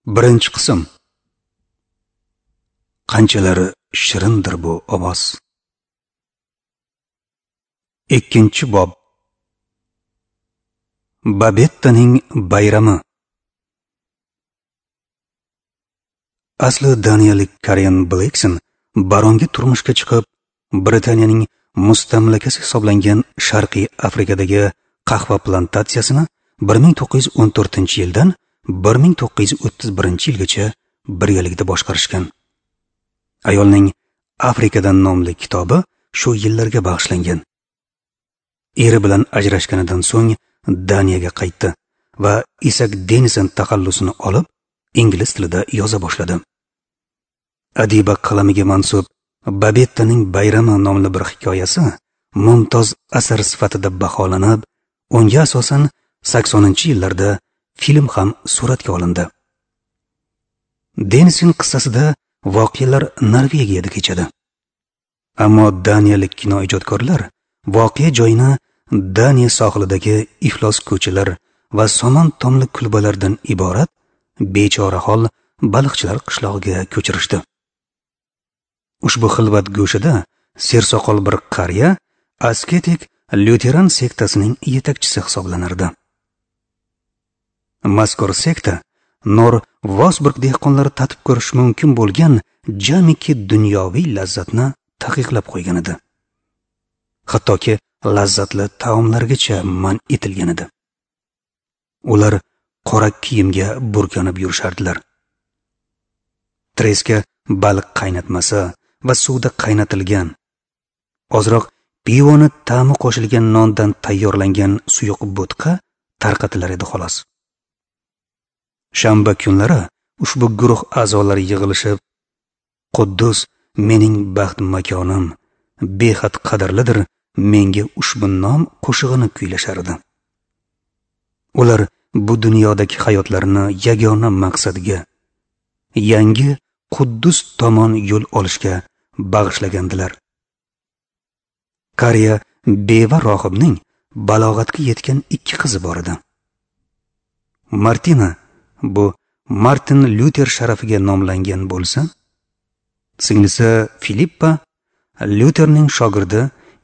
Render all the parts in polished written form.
Birinchi qism. Qanchalar shirindir bu ovoz. Ikkinchi bob. Babettaning bayrami. Asli daniyalik Karen Blixen baronga turmushga chiqib, Britaniyaning mustamlakasi hisoblangan Sharqiy Afrikadagi qahva plantatsiyasini 1914-yildan 1931-yilgacha birgalikda boshqarishgan. Ayolning Afrikadan nomli kitobi shu yillarga bag'ishlangan. Eri bilan ajrashganidan so'ng Daniyaga qaytdi va Isak Denison taxallusini olib, ingliz tilida yoza boshladi. Adiba qalamiga mansub Babettaning bayrami nomli bir hikoyasi mumtoz asar sifatida baholanib, unga asosan 80-yillarda film ham suratga olindi. Denison qissasida voqealar Norvegiyada kechadi. Ammo daniyalik kino ijodkorlar voqea joyini Daniya sohilidagi iflos ko'chalar va somon tomli kulbalardan iborat bechorahol baliqchilar qishlog'iga ko'chirishdi. Ushbu xilvat go'shida sersoqol bir qariya asketik lyuteran sektasining yetakchisi hisoblanardi. Mazkur sekta Nor Vosburg dehqonlari tatib ko'rish mumkin bo'lgan jamiki dunyoviy lazzatni taqiqlab qo'ygan edi. Hattoki lazzatli taomlargacha man etilgan edi. Ular qora kiyimga burkanib yurishardilar. Treska baliq qaynatmasi va suvda qaynatilgan, ozroq pivoni ta'mi qo'shilgan nondan tayyorlangan suyuq bo'tqa tarqatilar edi xolos. Shanba kunlari ushbu guruh a'zolari yig'ilishib, Quddus mening baxt makonim, behad qadrlidir menga ushbu nom qo'shig'ini kuylashardi. Ular bu dunyodagi hayotlarini yagona maqsadga, yangi Quddus tomon yo'l olishga bag'ishlagandilar. Qariya beva rohibning balog'atga yetgan ikki qizi bor edi. Martina bu Martin Lyuter sharafiga nomlangan bo'lsa, singlisi Filippa Lyuterning shogirdi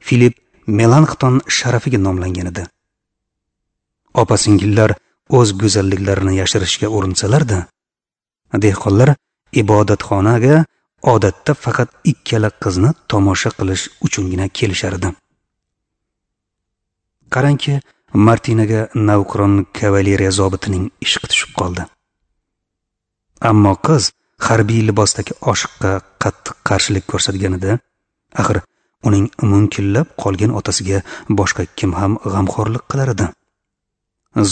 Filip Melanxton sharafiga nomlangan edi. Opa-singillar o'z go'zalliklarini yashirishga urinsalar-da, dehqonlar ibodatxonaga odatda faqat ikkala qizni tomosha qilish uchungina kelishardi. Qarangki, Martinaga navqiron kavaleriya zobitining ishqi tushib qoldi. Ammo qiz harbiy libosdagi oshiqqa qattiq qarshilik ko'rsatganida, axir uning munkillab qolgan otasiga boshqa kim ham g'amxo'rlik qilar edi.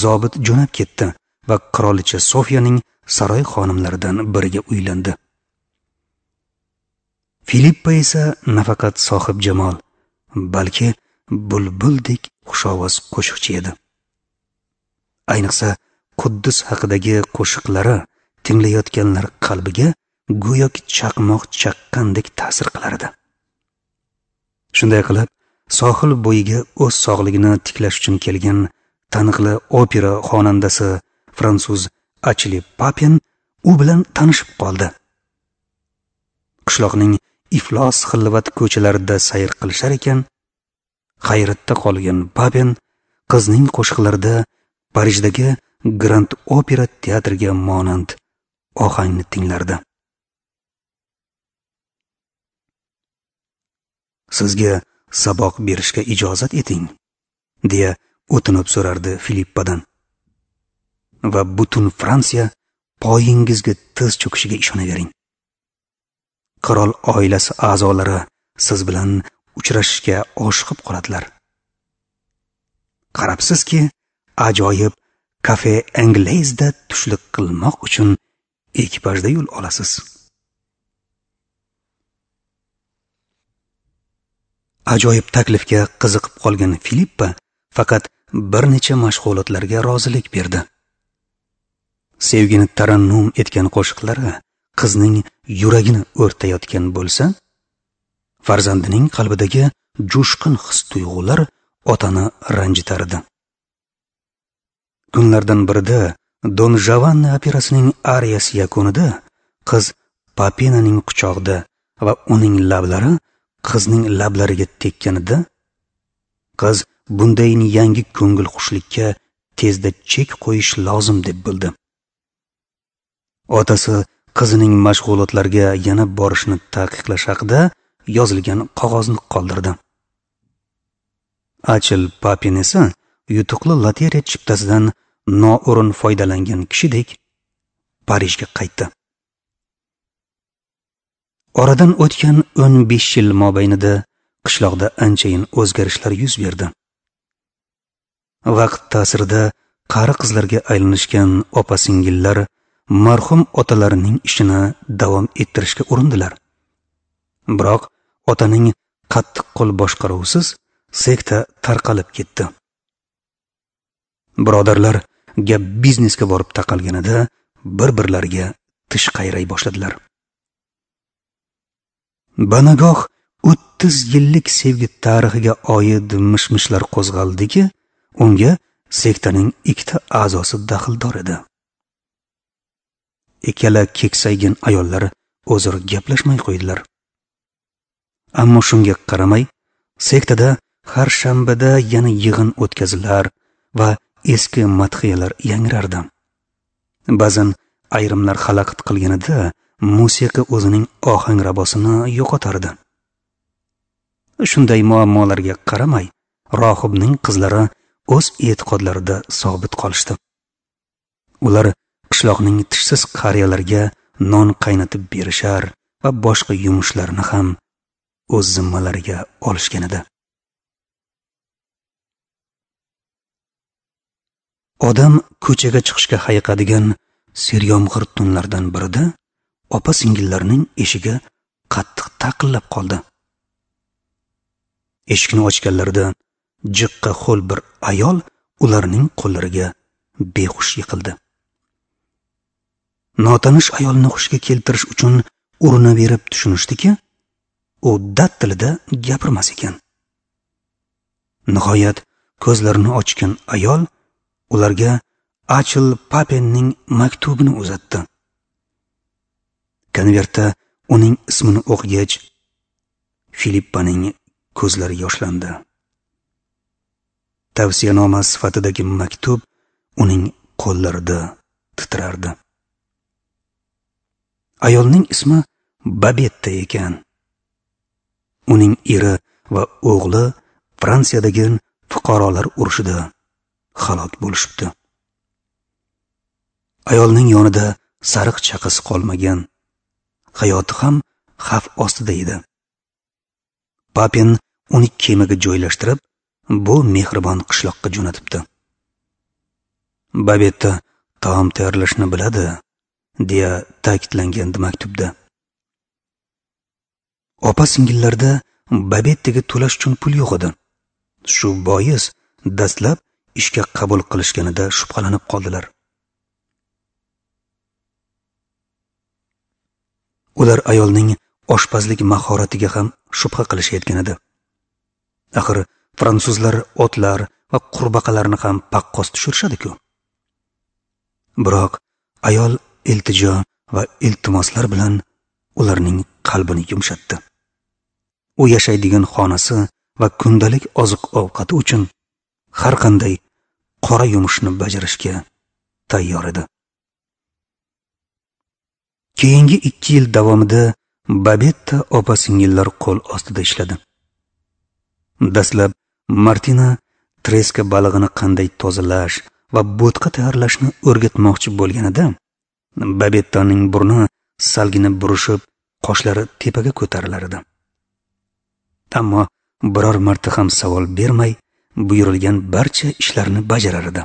Zobit jo'nab ketdi va qirolicha Sofiyaning saroy xonimlaridan biriga uylandi. Filippa esa nafaqat sohib jamol, balki bulbuldek xushovoz qo'shiqchi edi. Ayniqsa Quddus haqidagi qo'shiqlari tinglayotganlar qalbiga go'yoki chaqmoq chaqqandek ta'sir qilar edi. Shunday qilib, sohil bo'yiga o'z sog'ligini tiklash uchun kelgan taniqli opera xonandasi fransuz Achli Papen u bilan tanishib qoldi. Qishloqning iflos xilvat ko'chalarida sayr qilishar ekan, hayratda qolgan Papen qizning qo'shiqlarida Parijdagi Grand Opera teatriga monand ohangni tinglardi. Sizga saboq berishga ijozat eting, deya o'tinib so'rardi Filippadan. Va butun Fransiya poyingizga tiz cho'kishiga ishonavering. Qirol oilasi a'zolari siz bilan uchrashishga oshiqib qoladilar. Qarabsizki, ajoyib kafe Anglezda tushlik qilmoq uchun ekipajda yo'l olasiz. Ajoyib taklifga qiziqib qolgan Filippa faqat bir necha mashg'ulotlarga rozilik berdi. Sevgini tarannum etgan qo'shiqlari qizning yuragini o'rtayotgan bo'lsa, farzandining qalbidagi jo'shqin his-tuyg'ular otani ranjitar edi. Kunlardan birida Don Giovanni operasining ariyasi yakunida qiz Papinaning quchog'ida va uning lablari qizning lablariga tekkanida, qiz bunday yangi ko'ngil xushlikka tezda chek qo'yish lozim deb bildi. Otasi qizining mashg'ulotlarga yana borishini taqiqlash haqida yozilgan qog'ozni qoldirdi. Achil Papin esa yutuqli lotereya chiptasidan noo'rin foydalangan kishidek Parijga qaytdi. Oradan o'tgan 15 yil mobaynida qishloqda anchayin o'zgarishlar yuz berdi. Vaqt ta'sirida qari qizlarga aylanishgan opa-singillar marhum otalarining ishini davom ettirishga urindilar. Biroq otaning qattiq qo'l boshqaruvisiz sekta tarqalib ketdi. Birodarlar gap biznesga borib taqalganida bir-birlariga tish qayray boshladilar. Banagoh 30 yillik sevgi tarixiga oid mish-mishlar qo'zg'aldiki, unga sektaning ikkita a'zosi daxldor edi. Ikkala keksaygan ayollar o'zaro gaplashmay qo'ydilar. Ammo shunga qaramay, sektada har shanbada yana yig'in o'tkazilar va eski madhiyalar yangrardi. Ba'zan ayrimlar xalaqit qilganida musiqa o'zining ohangrabosini yo'qotardi. Shunday muammolarga qaramay, rohibning qizlari o'z e'tiqodlarida sobit qolishdi. Ular qishloqning tishsiz qariyalarga non qaynatib berishar va boshqa yumushlarni ham o'z zimmalariga olishgan edi. Odam ko'chaga chiqishga hayiqadigan seryomg'ir tunlardan birida opa-singillarning eshigi qattiq taqillab qoldi. Eshikni ochganlarida jiqqa ho'l bir ayol ularning qo'llariga behush yiqildi. Notanish ayolni hushiga keltirish uchun urinaverib tushunishdiki, u dad tilida gapirmas ekan. Nihoyat ko'zlarini ochgan ayol ularga Achil Papenning maktubini uzatdi. Konvertda uning ismini o'qigach, Filippaning ko'zlari yoshlandi. Tavsiyanoma sifatidagi maktub uning qo'llarida titrardi. Ayolning ismi Babetta ekan. Uning eri va o'g'li Fransiyadagi fuqarolar urushida halok bo'lishibdi. Ayolning yonida sariq chaqasi qolmagan. Hayoti ham xavf ostida edi. Papin uni kemaga joylashtirib, bu mehribon qishloqqa jo'natibdi. Babetta taom tayyorlashni biladi, deya ta'kidlangandi maktubda. Opa-singillarda Babettaga to'lash uchun pul yo'q edi. Shu bois dastlab ishga qabul qilishganida shubhalanib qoldilar. Ular ayolning oshpazlik mahoratiga ham shubha qilishayotgan edi. Axir fransuzlar otlar va qurbaqalarni ham paqqos tushirishadi-ku. Biroq ayol iltijo va iltimoslar bilan ularning qalbini yumshatdi. U yashaydigan xonasi va kundalik oziq-ovqati uchun har qanday qora yumushni bajarishga tayyor edi. Keyingi 2 yil davomida Babetta opa-singillar qo'l ostida ishladi. Dastlab Martina treska balig'ini qanday tozalash va bo'tqa tayyorlashni o'rgatmoqchi bo'lganida, Babettaning burni salgina burishib, qoshlari tepaga ko'tarilar edi. Ammo biror marta ham savol bermay, buyurilgan barcha ishlarni bajarar edi.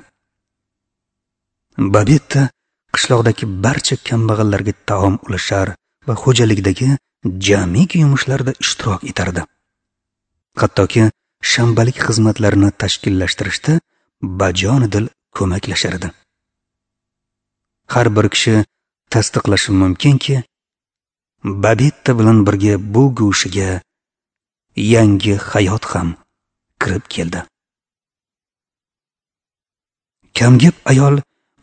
Babetta qishloqdagi barcha kambag'allarga taom ulashar va xo'jalikdagi jamiki yumushlarda ishtirok etardi. Hattoki shanbalik xizmatlarini tashkillashtirishda bajonidil ko'maklashar edi. Har bir kishi tasdiqlashi mumkinki, Babetta bilan birga bu go'shiga yangi hayot ham kirib keldi. Kamgap ayol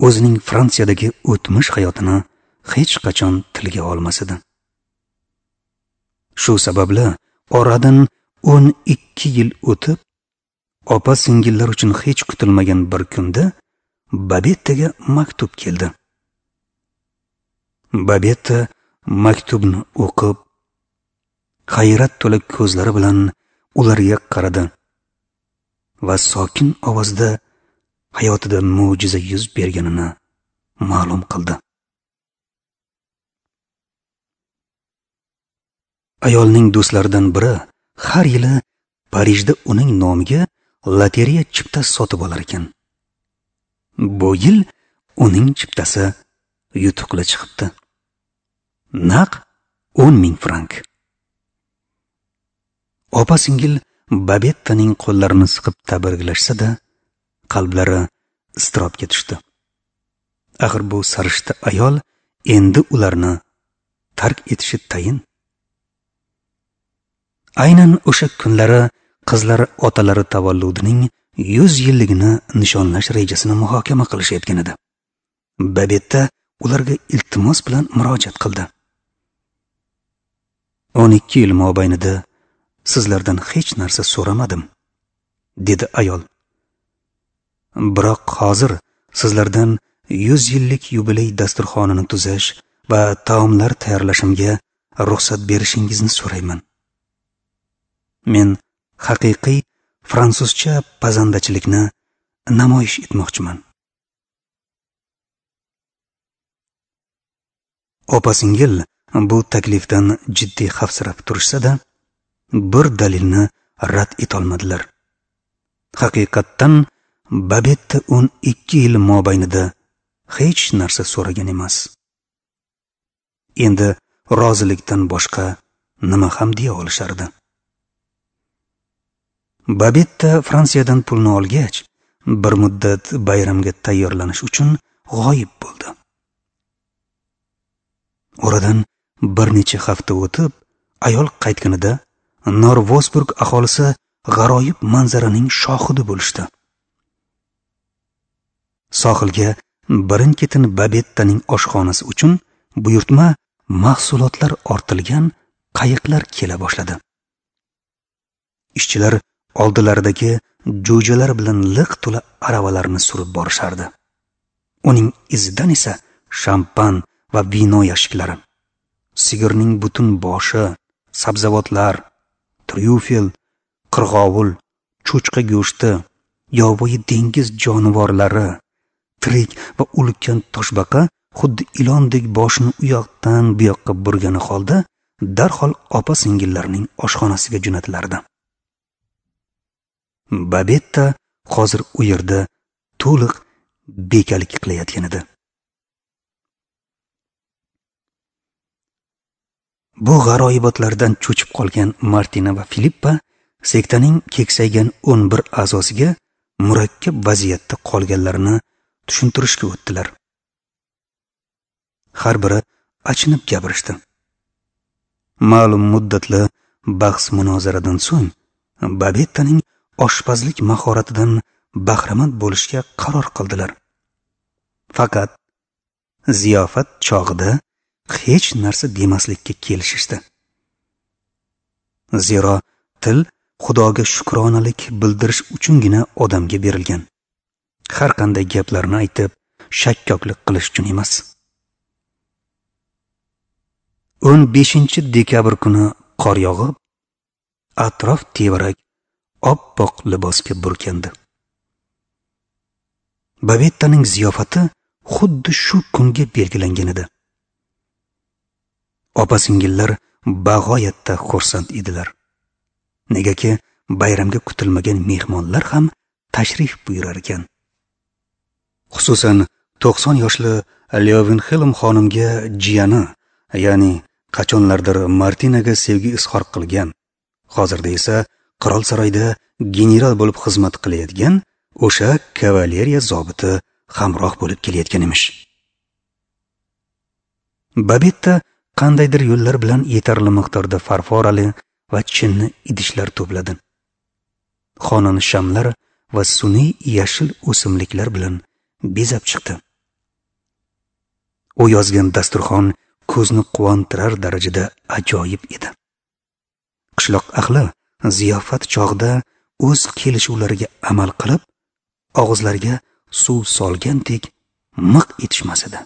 o'zining Fransiyadagi o'tmish hayotini hech qachon tilga olmas edi. Shu sababli oradan 12 yil o'tib, opa singillar uchun hech kutilmagan bir kunda Babettaga maktub keldi. Babetta maktubni o'qib, hayrat to'la ko'zlari bilan ularga qaradi va sokin ovozda hayotida mo'jiza yuz berganini ma'lum qildi. Ayolning do'stlaridan biri har yili Parijda uning nomiga lotereya chiptasi sotib olar ekan. Bu yil uning chiptasi yutuqli chiqibdi. Naq 10 ming frank. Opa singil Babettaning qo'llarini siqib tabriklashsa-da, qalblari iztirobga tushdi. Axir bu sarishta ayol endi ularni tark etishi tayin. Aynan o'sha kunlari qizlar otalari tavalludining 100 yilligini nishonlash rejasini muhokama qilishayotgan edi. Babetta ularga iltimos bilan murojaat qildi. 12 yil mobaynida sizlardan hech narsa so'ramadim, dedi ayol. Biroq hozir sizlardan 100 yillik yubiley dasturxonini tuzash va taomlar tayyorlashimga ruxsat berishingizni so'rayman. Men haqiqiy fransuzcha pazandachilikni namoyish etmoqchiman. Opa-singil bu taklifdan jiddiy xavfsirab turishsa-da, bir dalilni rad etolmadilar. Haqiqatdan Babetta 12 yil mobaynida hech narsa so'ragan emas. Endi rozilikdan boshqa nima ham deya olishardi. Babetta Fransiyadan pulni olgach, bir muddat bayramga tayyorlanish uchun g'oyib bo'ldi. Oradan bir necha hafta o'tib, ayol qaytganida Norvosburg aholisi g'aroyib manzaraning shohidi bo'lishdi. Sohilga birin-ketin Babettaning oshxonasi uchun buyurtma mahsulotlar ortilgan qayiqlar kela boshladi. Ishchilar oldilaridagi jo'jalar bilan liq to'la aravalarni surib borishardi. Uning izidan esa shampan va vino yashiklari, sigirning butun boshi, sabzavotlar, tryufel, qirg'ovul, cho'chqa go'shti, yovvoyi dengiz jonivorlari, tirik va ulkan toshbaqa xuddi ilondek boshini u yoqdan bu yoqqa burgani holda darhol opa-singillarning oshxonasiga jo'natilardi. Babetta hozir u yerda to'liq bekalik qilayotgan edi. Bu g'aroyibotlardan cho'chib qolgan Martina va Filippa sektaning keksaygan 11 a'zosiga murakkab vaziyatda qolganlarini tushuntirishga o'tdilar. Har biri achinib gapirishdi. Ma'lum muddatli bahs munozaradan so'ng Babettaning oshpazlik mahoratidan bahramand bo'lishga qaror qildilar. Faqat ziyofat chog'ida hech narsa demaslikka kelishishdi. Zero til Xudoga shukronalik bildirish uchungina odamga berilgan. Har qanday gaplarni aytib, shakkoklik qilish uchun emas. 15 dekabr kuni qor yog'ib, atrof tevarak oppoq libosga burkandi. Babettaning ziyofati xuddi shu kunga belgilangan edi. Opa-singillar bag'oyatda xursand edilar. Negaki bayramga kutilmagan mehmonlar ham tashrif buyurar ekan. Xususan 90 yoshli Leovinxelm xonimga jiyani, ya'ni qachonlardir Martinaga sevgi izhor qilgan, hozirda esa qirol saroyida general bo'lib xizmat qilayotgan o'sha kavaleriya zobiti hamroh bo'lib kelayotgan emish. Babetta qandaydir yo'llar bilan yetarli miqdorda farforali va chinni idishlar to'pladi. Xonani shamlar va sun'iy yashil o'simliklar bilan bezab chiqdi. U yozgan dasturxon ko'zni quvontirar darajada ajoyib edi. Qishloq ahli ziyofat chog'ida o'z kelishuvlariga amal qilib, og'izlariga suv solgandek miq etishmas edi.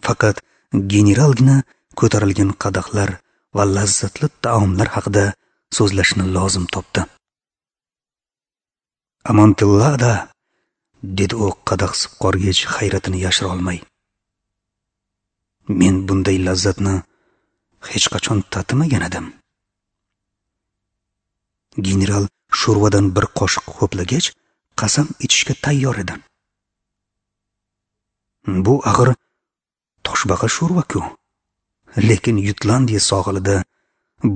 Faqat generalgina ko'tarilgan qadahlar va lazzatli taomlar haqida so'zlashni lozim topdi. "Amontillada", dedi u qadah sipqorgach hayratini yashira olmay. "Men bunday lazzatni hech qachon tatimagan edim." General sho'rvadan bir qoshiq ho'plagach, qasam ichishga tayyor edi. Bu axir toshbaqa sho'rva-ku. Lekin Yutlandiya sohilida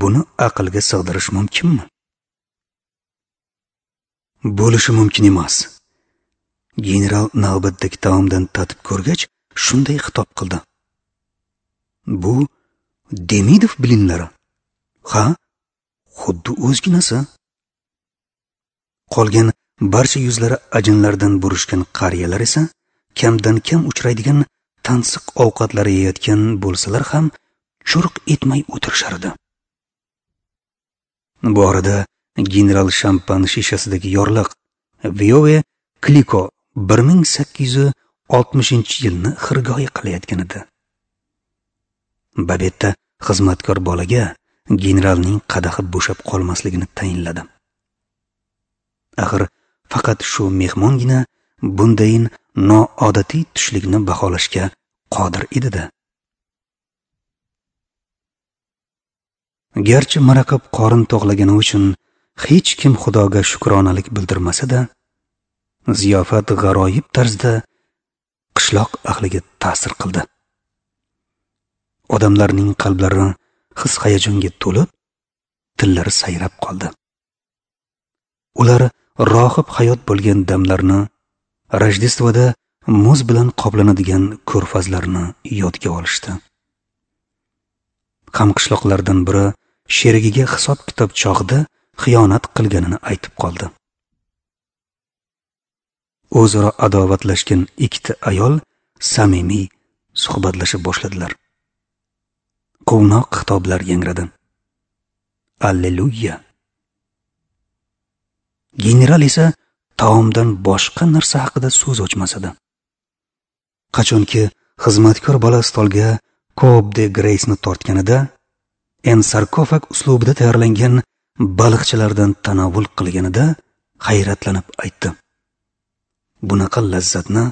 buni aqlga sig'dirish mumkinmi? Bo'lishi mumkin emas. General navbatdagi taomdan tatib ko'rgach, shunday xitob qildi. Bu Demidov bilinlari. Ha, xuddi o'zginasi. Qolgan barcha yuzlari ajinlardan burishgan qariyalar esa kamdan kam uchraydigan tansiq ovqatlar yeyotgan bo'lsalar ham churq etmay o'tirishardi. Bu orada general shampan shishasidagi yorliq Viove Kliko 1860-yilni xirgoyi qilayotgan edi. Babetta xizmatkor bolaga generalning qadahi bo'shab qolmasligini tayinladi. Axir faqat shu mehmongina bundayin noodatiy tushlikni baholashga qodir edi-da. Garchi maraqib qorin to'g'lagani uchun hech kim Xudoga shukronalik bildirmasa-da, ziyofat g'aroyib tarzda qishloq ahliga ta'sir qildi. Odamlarning qalblari his-hayajonga to'lib, tillari sayrab qoldi. Ular rohib hayot bo'lgan damlarni, Rojdestvoda muz bilan qoplanadigan ko'rfazlarni yodga olishdi. Hamqishloqlardan biri sherigiga hisob-kitob chog'ida xiyonat qilganini aytib qoldi. O'zaro adovatlashgan ikkita ayol samimiy suhbatlasha boshladilar. Quvnoq xitoblar yangradi. Alleluya! General esa taomdan boshqa narsa haqida so'z ochmas edi. Qachonki xizmatkor bola stolga Coop de Grace'ni tortganida, en sarkofag uslubida tayyorlangan baliqchilardan tanovul qilganida hayratlanib aytdi: "Bunaqa lazzatni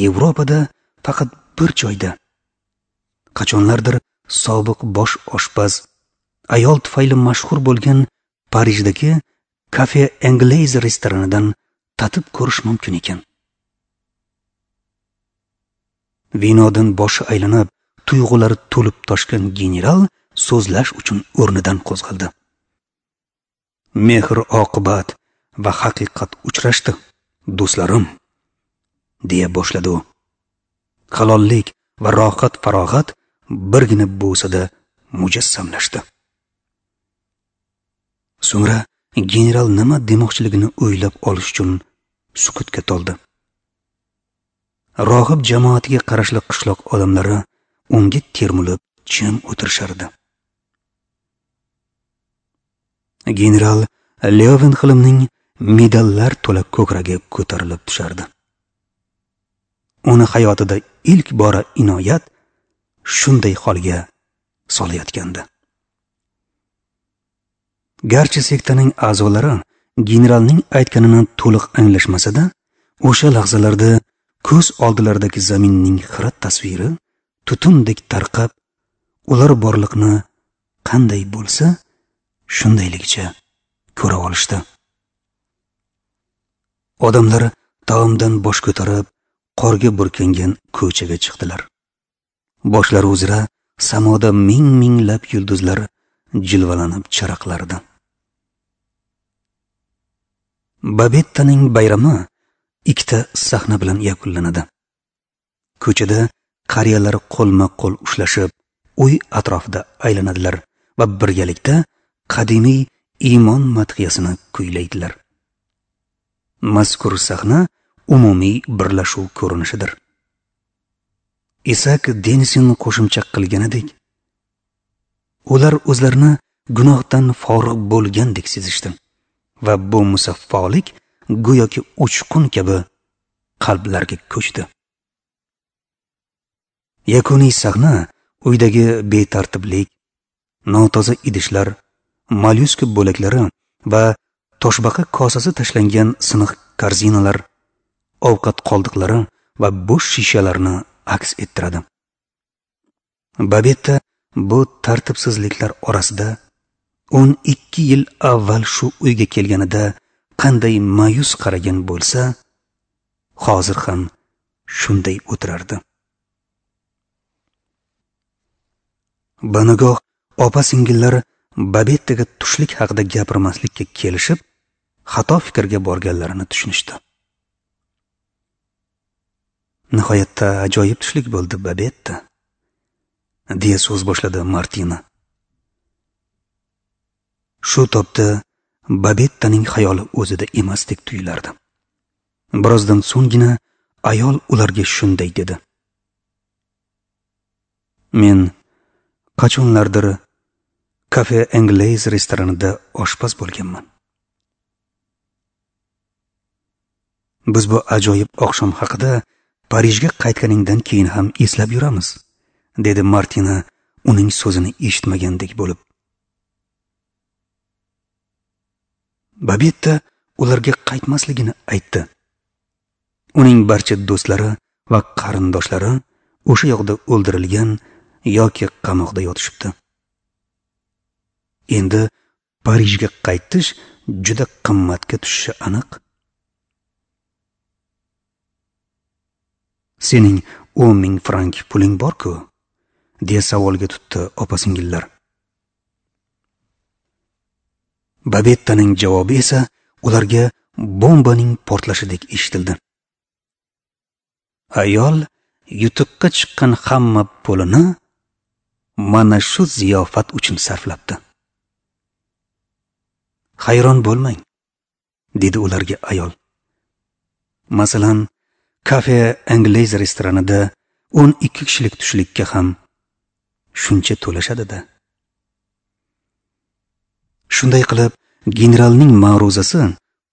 Yevropada faqat bir joyda, qachonlardir sobiq bosh oshpaz ayol tufayli mashhur bo'lgan Parijdagi Cafe Anglaise restoranidan tatib ko'rish mumkin ekan." Vinodan boshi aylanib, tuyg'ulari to'lib toshgan general so'zlash uchun o'rnidan qo'zg'aldi. "Mehr oqibat va haqiqat uchrashdi, do'stlarim", deya boshladi u. Halollik va rohat farog'at birgina bo'sada mujassamlashdi. So'ngra general nima demoqchiligini o'ylab olish uchun sukutga toldi. Rohib jamoatiga qarashli qishloq odamlari unga termulib jim o'tirishardi. General Levenxilmning medallar to'la ko'kragi ko'tarilib tushardi. Uni hayotida ilk bora inoyat shunday holga solayotgandi. Garchi sektaning a'zolari generalning aytganini to'liq anglashmasa-da, o'sha lahzalarda ko'z oldilaridagi zaminning xira tasviri tutundek tarqab, ular borliqni qanday bo'lsa, shundayligicha ko'ra olishdi. Odamlar taomdan bosh ko'tarib, qorga burkangan ko'chaga chiqdilar. Boshlari uzra samoda ming-minglab yulduzlar jilvalanib charaqlardi. Babettaning bayrami ikkita sahna bilan yakunlanadi. Ko'chada qariyalar qo'lma-qo'l ushlashib, uy atrofida aylanadilar va birgalikda qadimiy iymon madhiyasini kuylaydilar. Mazkur sahna umumiy birlashuv ko'rinishidir. Isak Denisin qo'shimcha qilganidek, ular o'zlarini gunohdan forig' bo'lgandek sezishdi va bu musaffolik go'yoki uchqun kabi qalblarga ko'chdi. Yakuniy sahna uydagi betartiblik, notoza idishlar, mollyuska bo'laklari va toshbaqa kosasi tashlangan siniq korzinalar, ovqat qoldiqlari va bo'sh shishalarni aks ettiradi. Babetta bu tartibsizliklar orasida 12 yil avval shu uyga kelganida qanday ma'yus qaragan bo'lsa, hozir ham shunday o'tirardi. Banagoh opa-singillar Babettaga tushlik haqida gapirmaslikka kelishib, xato fikrga borganlarini tushunishdi. Nihoyatda ajoyib tushlik bo'ldi, Babetta, deya so'z boshladi Martina. Shu topda Babettaning xayoli o'zida emasdek tuyulardi. Birozdan so'nggina ayol ularga shunday dedi: Men qachonlardir Cafe Anglaise restoranida oshpaz bo'lganman. Biz bu ajoyib oqshom haqida Parijga qaytganingdan keyin ham eslab yuramiz, dedi Martina uning so'zini eshitmagandek bo'lib. Babetta ularga qaytmasligini aytdi. Uning barcha do'stlari va qarindoshlari o'sha yoqda o'ldirilgan yoki qamoqda yotishibdi. Endi Parijga qaytish juda qimmatga tushishi aniq. Sening 10,000 frank puling bor-ku, deya savolga tutdi opa-singillar. Babettaning javobi esa ularga bombaning portlashidek eshitildi. Ayol yutuqqa chiqqan hamma pulini mana shu ziyofat uchun sarflabdi. Hayron bo'lmang, dedi ularga ayol. Masalan, Cafe Anglaise restoranida 12 kishilik tushlikka ham shuncha to'lashadi-da. Shunday qilib, generalning ma'ruzasi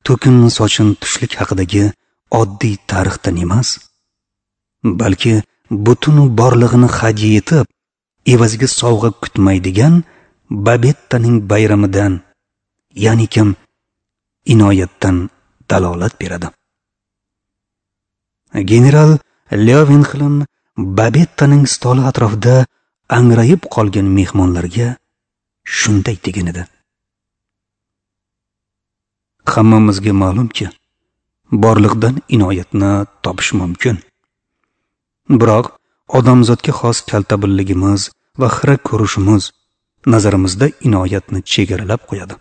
to'kin sochin tushlik haqidagi oddiy tarixdan emas, balki butun borlig'ini hadya etib, evaziga sovg'a kutmaydigan Babettaning bayramidan, ya'ni kim inoyatdan dalolat beradi. General Levenxlin Babettaning stoli atrofida angrayib qolgan mehmonlarga shunday degan edi: Hammamizga ma'lumki, borliqdan inoyatni topish mumkin. Biroq odamzodga xos kaltabilligimiz va xira ko'rishimiz nazarimizda inoyatni chegaralab qo'yadi.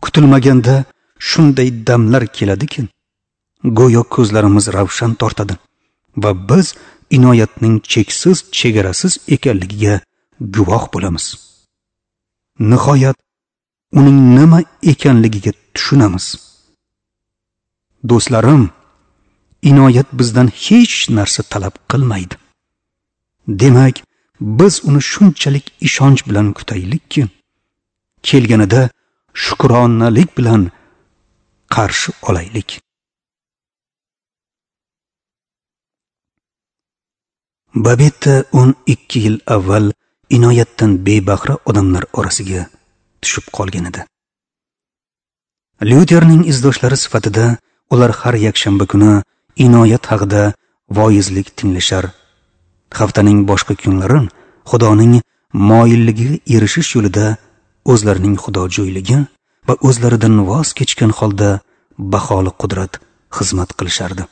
Kutilmaganda shunday damlar keladiki, go'yo ko'zlarimiz ravshan tortadi va biz inoyatning cheksiz, chegarasiz ekanligiga guvoh bo'lamiz. Nihoyat uning nima ekanligiga tushunamiz. Do'stlarim, inoyat bizdan hech narsa talab qilmaydi. Demak, biz uni shunchalik ishonch bilan kutaylikki, kelganida shukronalik bilan qarshi olaylik. Babetta 12 yil avval inoyatdan bebahra odamlar orasiga tushib qolgan edi. Lyuterning izdoshlari sifatida ular har yakshanba kuni inoyat haqida voizlik tinglashar. Haftaning boshqa kunlari Xudoning moyilligiga erishish yo'lida o'zlarining xudojo'yligi va o'zlaridan voz kechgan holda baholi qudrat xizmat qilishardi.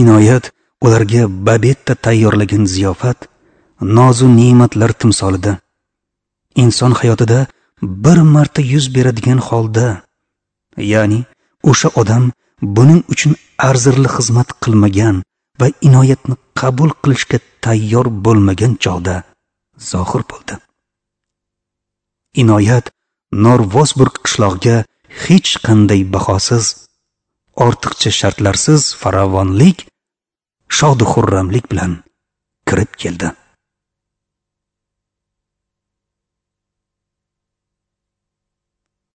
Inoyat ularga Babetta tayyorlagan ziyofat nozu ne'matlar timsolida, inson hayotida bir marta yuz beradigan holda, ya'ni o'sha odam buning uchun arzirli xizmat qilmagan va inoyatni qabul qilishga tayyor bo'lmagan chog'da zohir bo'ldi. Inoyat Norvosburg qishlog'iga hech qanday bahosiz ortiqcha shartlarsiz farovonlik, shodu xurramlik bilan kirib keldi.